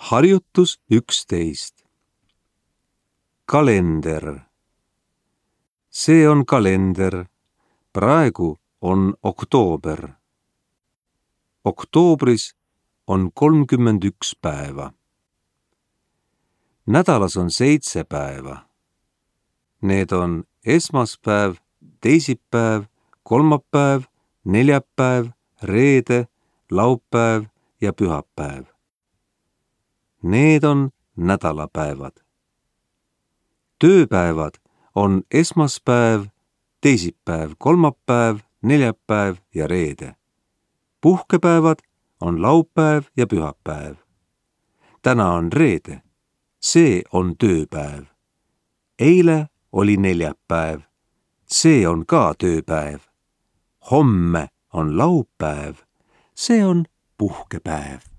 Harjutus 11. Kalender. See on kalender. Praegu on oktoober. Oktoobris on 31 päeva. Nädalas on 7 päeva. Need on esmaspäev, teisipäev, kolmapäev, neljapäev, reede, laupäev ja pühapäev. Need on nädalapäevad. Tööpäevad on esmaspäev, teisipäev, kolmapäev, neljapäev ja reede. Puhkepäevad on laupäev ja pühapäev. Täna on reede. See on tööpäev. Eile oli neljapäev. See on ka tööpäev. Homme on laupäev. See on puhkepäev.